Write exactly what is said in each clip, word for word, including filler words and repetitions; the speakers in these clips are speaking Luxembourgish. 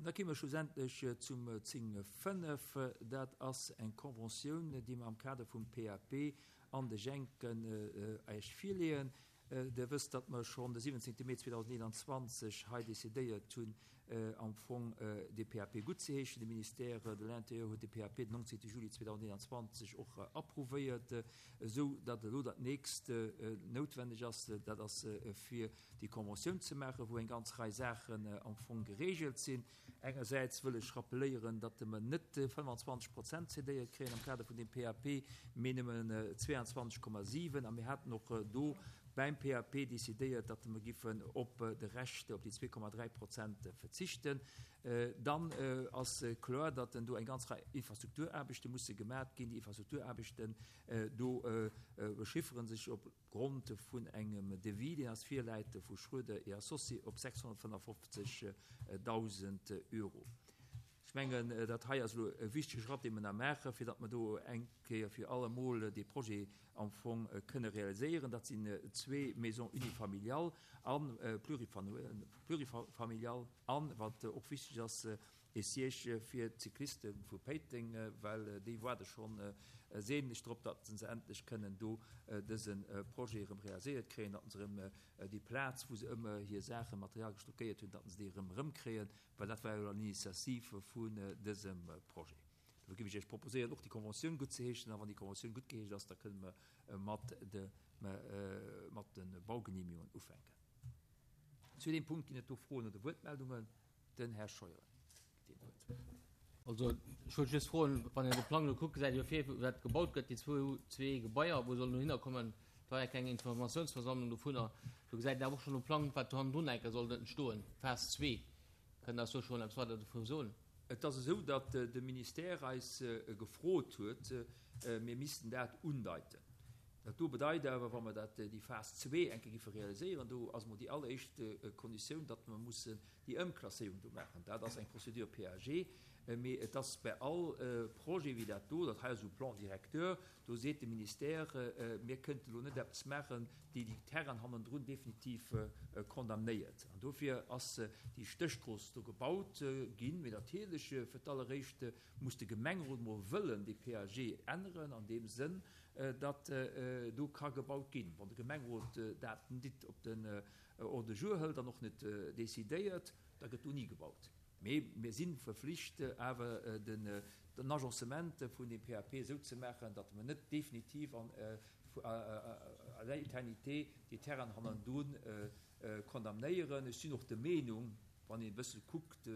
Da komme mer schlussendlech zum zéng fënnef. Dat ass eng Conventioun, déi mer am Kader vum P A P an de Jenken Iech virleeën. Dir wësst, datt mer schonn de siwwenzéngte Mee zweedausendeenanzwanzeg hei decidéiert hunn, am Fong de P A P guttzeheeschen. De Ministère de l'Intérieur huet de P A P den nonzéngte Juli zweedausendeenanzwanzeg och approuvéiert, esou datt elo dat nächst noutwenneg ass, dat ass fir déi Conventioun ze maachen, wou eng ganz Rei Saachen am Fong geregelt sinn. Engersäits wëll ech rappeléieren, datt mer net fënnefanzwanzeg Prozent cédéiert kréien am Kader vun deem P A P, mee nëmmen zwéianzwanzeg Komma siwen. A mir haten och do beim P A P decidéiert, datt mer giffen op de Rescht, op déi zwee Komma dräi Prozent verzichten. Dann ass kloer, datt do eng ganz Rei Infrastrukturaarbechte musse gemaat ginn. Déi Infrastrukturaarbechten do bechiffere sech op Grond vun engem Devis, deen eis virläit vu Schröder et Associés, op sechshonnertfënnefofzegdausend Euro. Ech mengen, dat hei ass elo e wichtege Schratt, dee mer nach maachen, fir datt mer do eng Kéier fir allemol dee Projet am Fong kënne realiséieren. Dat sinn zwee Maisons unifamiliales a plurifamiliales an, wat och wichteg ass, e Siège fir d'Cycliste vu Péiteng, well déi waarde schonn sehnlech drop, datt se endlech kënnen do dëse Projet erëm realiséiert kréien, datt se erëm déi Plaz, wou se ëmmer hir Saachen, Material gestockéiert hunn, datt se déi erëm erëmkréien, well dat war jo l'initiative vun dësem Projet. Dofir géif ech Iech proposéieren, och déi Conventioun guttzeheeschen, a wann déi Conventioun guttgeheescht ass, da kënne mer mat de mat de Baugenehmigungen ufänken. Zu deem Punkt ginn et do Froen oder Wuertmeldungen? Den Här Scheuer kritt d'Wuert. Also ech wollt just froen, wann een de Plang elo kuckt, gesäit ee jo vir, wat gebaut gëtt, déi zwou zwee Gebaier, wou sollen dohinner kommen. Et war ja keng Informatiounsversammlung dovunner. Do gesäit een awer och schonn um Plang, wat do hannendrun enke soll entstoen, Phas zwee. Kënnt Der eis do schonn eppes weider dovun soen? Et ass esou, datt de Ministère eis gefrot huet, mir missten dat undeiten. Dat do bedeit awer, wa mer dat, déi Phas zwee enke giffe realiséieren, do ass mol déi alleréischt Konditioun, datt mer mussen déi Ëmklasséierung do maachen. Dat ass eng Procédure P A G, mee et ass bei all Projet wéi dat do, dat hei ass esou Plan directeur, do seet de Ministère, mir kënnten elo net eppes maachen, déi déi Terrainen hannendrun definitiv condamnéiert. An dofir ass déi Stéchstrooss do gebaut ginn. Mee natierlech, fir d'alleréischt muss de Gemengerot mol wëllen dee P A G änneren an deem Sënn, datt do ka gebaut ginn. Wann de Gemengerot dat nit op den Ordre du jour hëlt an och net decidéiert, da gëtt do ni gebaut. Mee mir si verflicht, awer den den Agencement vun dem P A P esou ze maachen, datt mer net definitiv an à l'éternité déi Terrainen hannendrun condamnéieren. Ech sinn och der Meenung, wann een e bësse kuckt,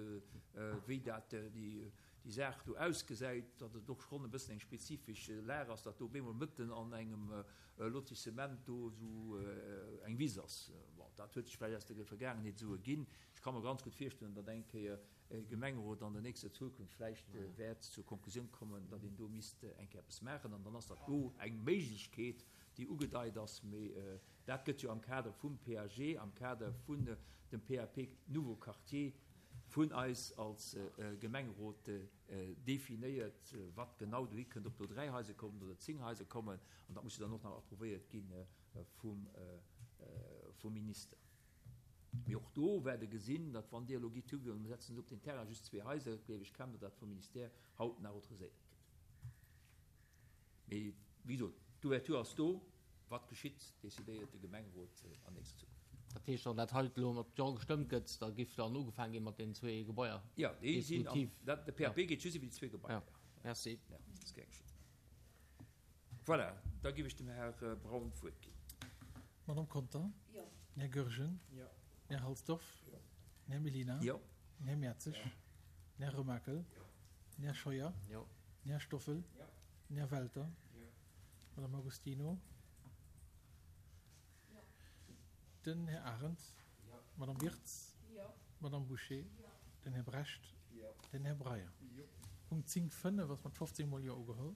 wéi dat déi Saach do ausgesäit, datt et och schonn e bëssen eng spezifesch Lag ass, datt do op eemol mëtten an engem Lotissement do esou eng Wiss ass. Bon, dat huet sech vläicht aus der Vergaangenheet esou erginn. Ech ka mer ganz gutt virstellen, datt eng Kéier e Gemengerot an der nächster Zukunft vläicht wäert zur Konklusioun kommen, datt een do misst eng Kéier eppes maachen. An dann ass dat do eng Méiglechkeet, déi ugedeit ass. Mee dat gëtt jo am Kader vum P A G, am Kader vun dem P A P Nouveau Quartier vun eis als Gemengerot definéiert, wat genau dohi kënnt, ob do dräi Haiser kommen oder zéng Haiser kommen. An dat muss jo dann och nach approuvéiert gi vum vum Minister. Mee och do wäert Der gesinn, datt wann Dir elo gitt higoen an mir setzen op den Terrain just zwee Haiser, gleef ech kaum, datt dat vum Ministère haut nach autoriséiert gëtt. Mee wéi gesot, d'Ouverture ass do. Wat geschitt, decidéiert de Gemengerot an nächster Zukunft. Dat heescht, wann dat hei elo mat Jo gestëmmt gëtt, da giff dann ugefaangen gi mat deenen zwee Gebaier? Jo, déi sinn am, dat, de P A P geet just iwwer déi zwee Gebaier. Jo, merci. Jo, dat ass gär geschitt. Voilà, da giff ech dem Här Braun d'Wuert ginn. Madame Conter? Jo. Här Goergen? Jo. Här Halsdorf? Jo. Här Mellina? Jo. Här Mertzig? Jo. Här Remakel? Jo. Här Scheuer? Jo. Här Stoffel? Jo. Här Welter? Jo. Madame Agostino? Jo. Den Här Arendt? Jo. Madame Wirtz? Jo. Madame Bouché? Jo. Den Här Brecht? Jo. Den Här Breyer? Jo. Punkt zéng fënnef ass mat fofzéng mol Jo ugeholl.